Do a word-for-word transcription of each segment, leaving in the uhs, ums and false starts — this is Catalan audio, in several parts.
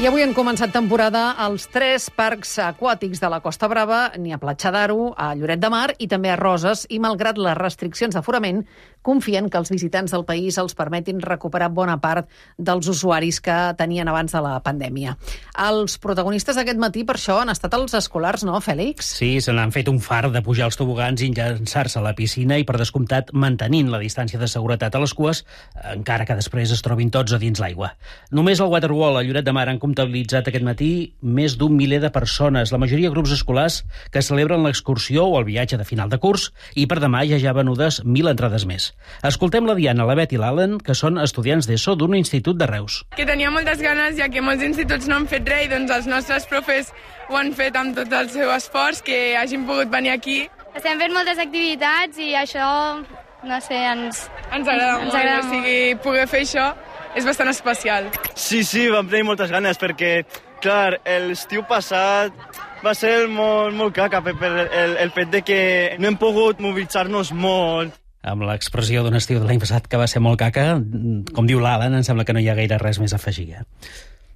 I avui han començat temporada als tres parcs aquàtics de la Costa Brava, ni a Platja d'Aro, a Lloret de Mar i també a Roses, i malgrat les restriccions d'aforament, confien que els visitants del país els permetin recuperar bona part dels usuaris que tenien abans de la pandèmia. Els protagonistes d'aquest matí, per això, han estat els escolars, no, Fèlix? Sí, se n'han fet un fart de pujar als tobogans i llançar-se a la piscina i, per descomptat, mantenint la distància de seguretat a les cues, encara que després es trobin tots a dins l'aigua. Només al Waterwall, a Lloret de Mar, han comptabilitzat aquest matí més d'un miler de persones, la majoria grups escolars que celebren l'excursió o el viatge de final de curs, i per demà ja hi ha venudes mil entrades més. Escoltem la Diana, la Bet i l'Allen, que són estudiants d'ESO d'un institut de Reus. Que tenia moltes ganes, ja que molts instituts no han fet res, i doncs els nostres profes ho han fet amb tot el seu esforç, que hagin pogut venir aquí. Estem fent moltes activitats i això, no sé, ens... Ens agrada ens molt, agrada o sigui, poder fer això és bastant especial. Sí, sí, vam tenir moltes ganes perquè, clar, l'estiu passat va ser molt, molt caca per el, el fet de que no hem pogut mobilitzar-nos molt. Amb l'expressió d'un estiu de l'any passat que va ser molt caca, com diu l'Alan, em sembla que no hi ha gaire res més a afegir. Eh?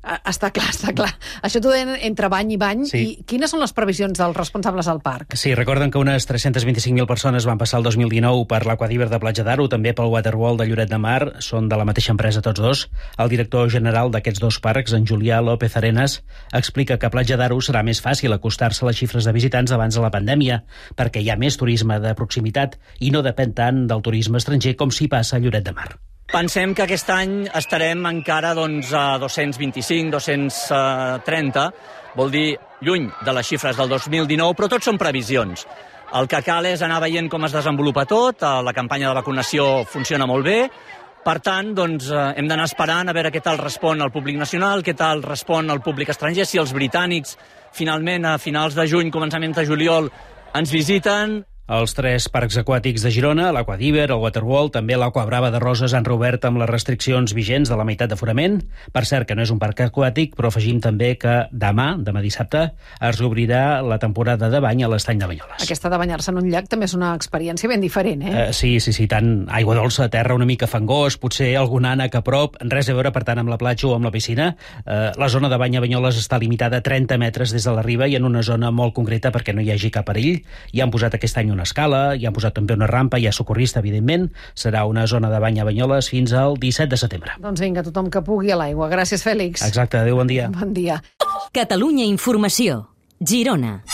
Està clar, està clar. Això t'ho deien entre bany i bany. Sí. I quines són les previsions dels responsables del parc? Sí, recorden que unes tres-cents vint-i-cinc mil persones van passar el dos mil dinou per l'Aquadiver de Platja d'Aro, també pel Waterwall de Lloret de Mar, són de la mateixa empresa tots dos. El director general d'aquests dos parcs, en Julià López Arenas, explica que a Platja d'Aro serà més fàcil acostar-se a les xifres de visitants abans de la pandèmia, perquè hi ha més turisme de proximitat i no depèn tant del turisme estranger com si passa a Lloret de Mar. Pensem que aquest any estarem encara doncs, a dos-cents vint-i-cinc, dos-cents trenta, vol dir lluny de les xifres del dos mil dinou, però tot són previsions. El que cal és anar veient com es desenvolupa tot, la campanya de vacunació funciona molt bé, per tant, doncs, hem d'anar esperant a veure què tal respon el públic nacional, què tal respon el públic estranger, si els britànics finalment a finals de juny, començaments de juliol, ens visiten. Els tres parcs aquàtics de Girona, l'Aquadiver, el Waterwall, també l'Aqua Brava de Roses, han reobert amb les restriccions vigents de la meitat d'aforament. Per cert, que no és un parc aquàtic, però afegim també que demà, demà dissabte, es reobrirà la temporada de bany a l'estany de Banyoles. Aquesta de banyar-se en un llac també és una experiència ben diferent, eh? Uh, sí, sí, sí, tant aigua dolça, terra una mica fangós, potser algun ànec a prop, res a veure, per tant, amb la platja o amb la piscina. Uh, la zona de bany a Banyoles està limitada a trenta metres des de la riba i en una zona molt concreta perquè no hi hagi cap perill. I han posat aquest any una escala, hi han posat també una rampa, hi ha socorrista, evidentment. Serà una zona de bany a Banyoles fins al disset de setembre. Doncs vinga, tothom que pugui a l'aigua. Gràcies, Fèlix. Exacte, adéu, bon dia. Bon dia. Catalunya Informació, Girona.